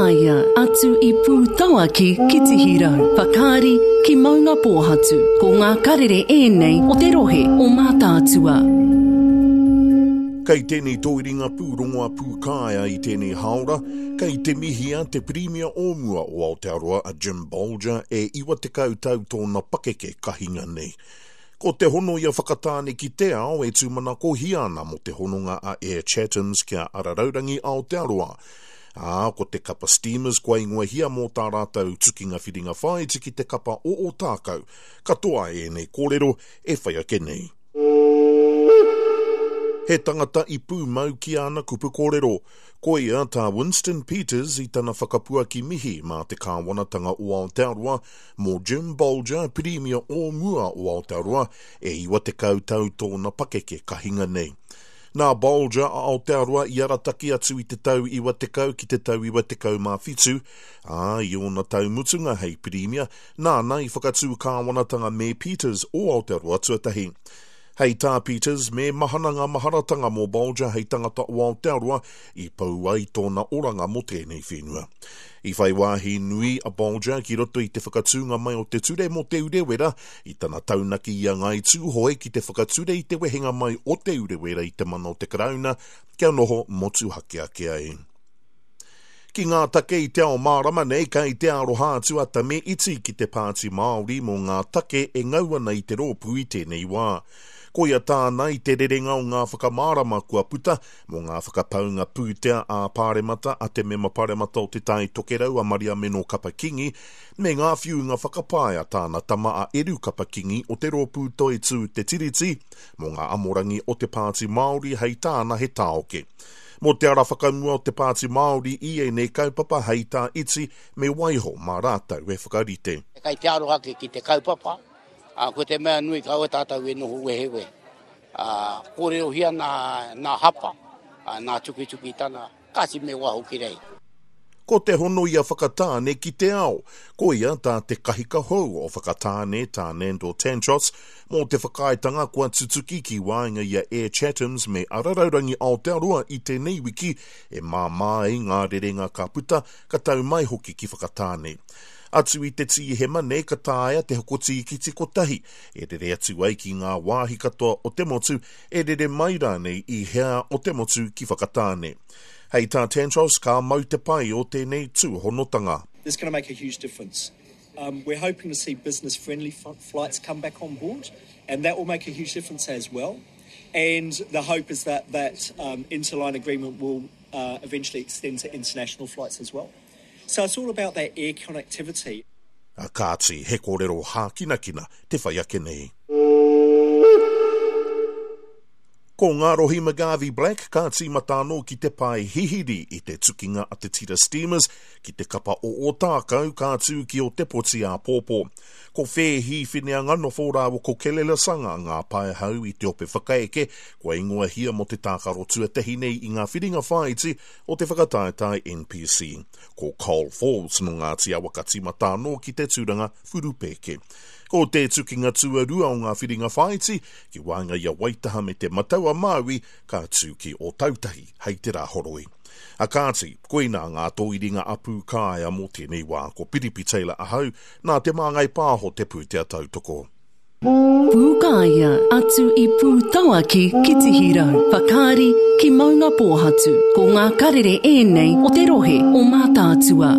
Pūkāea, atu i Pūtauaki ki Tihirau, Whakaari ki Maungapōhatu. Ko ngā karere ēnei o te rohe o Mātaatua. Kei tēnei tōiringa pūrongo a Pūkāea i tēnei hāora, kei te mihia te Pirimia o mua o Aotearoa a Jim Bolger e 90 tau tōna pakeke ka hinga nei. Ko te hono i a Whakatāne ki te ao e tūmanakohia ana mō te hononga a Air Chathams ki a Araraurangi Aotearoa. Ā, ko te kapa Steamers kua ingoahia mō tā rātou tukinga whiringa whāiti ki te kapa o Ōtākou. Katoa ēnei kōrero e whai ake nei. He tangata i pūmau ki āna kupu kōrero. Koia tā Winston Peters i tana whakapuaki mihi mā te kāwanatanga o Aotearoa mō Jim Bolger, Pirimia o mua o Aotearoa, e 90 tau tōna pakeke ka hinga nei. Nā Bolger a Aotearoa i arataki atu i te tau 90 ki te tau 97, ā, i ōna tau mutunga hei Pirimia, nāna i whakatū kāwanatanga me Peters o Aotearoa tuatahi. Hei tā Peters, me mahana ngā maharatanga mō Bolger hei tangata o Aotearoa i pau ai tōna oranga mō tēnei whenua. I whai wāhi nui a Bolger ki roto i te whakatūnga mai o te ture mō Te Urewera i tana taunaki i a Ngāi Tūhoe ki te whakature i te wehenga mai o Te Urewera i te mana o te Karauna kia noho motuhake ake ai. Ki ngā take i te ao mārama nei, kei te aroha atu a Tame Iti ki te Pāti Māori mō ngā take e ngau ana i te rōpū i tēnei wā. Koia tāna i te rerenga o ngā whakamārama kua puta mō ngā whakapaunga pūtea ā-pāremata a te Mema Paremata o Te Tai Tokerau a Mariameno Kapa-Kingi me ngā whiunga whakapae a tāna tama a Eru Kapa-Kingi o te rōpū Toitū Te Tiriti mō ngā amorangi o te Pāti Māori hei tāna he tāoke. Mō te ara whakamua o te Pāti Māori i ēnei kaupapa hei tā Iti me waiho mā rātou e whakarite. Kei te aro ake ki te kaupapa, ā, ko te mea nui kaua tātou e noho wehewehe. Ā, kōrerohia nā, nā hapa, ā, nā tukitukitanga, kāti me waho ki reira. Ko te hono i a Whakatāne ki te ao. Koia tā te kahika hou o Whakatāne, tā Nandor Tanczos, mō te whakaaetanga kua tutuki ki waenga i a Air Chathams me Araraurangi Aotearoa i tēnei wiki e māmā ai ngā rerenga ka puta, ka tau mai hoki ki Whakatāne. Atu i te Tīhema nei ka taea te hoko tīkiti kotahi e rere atu ai ki ngā wāhi katoa o te motu, e rere mai rānei i hea o te motu ki Whakatāne. Hei tā Tantros, ka mau te pai o tēnei tūhonotanga. This is going to make a huge difference. Um, we're hoping to see business friendly flights come back on board, and that will make a huge difference as well. And the hope is that that um, interline agreement will uh, eventually extend to international flights as well. So it's all about that air connectivity. A kāti, he kōrero hākinakina te whai ake nei. Ko Ngārohi McGarvey-Black ka tīmata anō ki te pae hihiri i te tukinga a te tira Steamers ki te kapa o Ōtākou ka tū ki Ōtepoti āpōpō. Ko Whēhi Fineanganofo rāua ko Kelele Sanga ngā paehau i te ope whakaeke kua ingoahia mō te tākaro tuatahi nei i ngā whiringa whāiti o te whakataetae NPC. Ko Cole Falls nō Ngāti Awa ka tīmata anō ki te tūranga whurupēke. Ko te tukinga tuarua o ngā whiringa whāiti, ki waenga i a Waitaha me Te Matau-a-Māui, ka tū ki Ōtautahi hei te Rāhoroi. A kāti, koinā ngā tōiringa a Pūkāea mō tēnei wā. Ko Piripi Taylor ahau, nā Te Māngai Pāho te pūtea tautoko. Pūkāea, atu i Pūtauaki ki Tihirau, Whakaari ki Maungapōhatu. Ko ngā karere ēnei o te rohe o Mātaatua.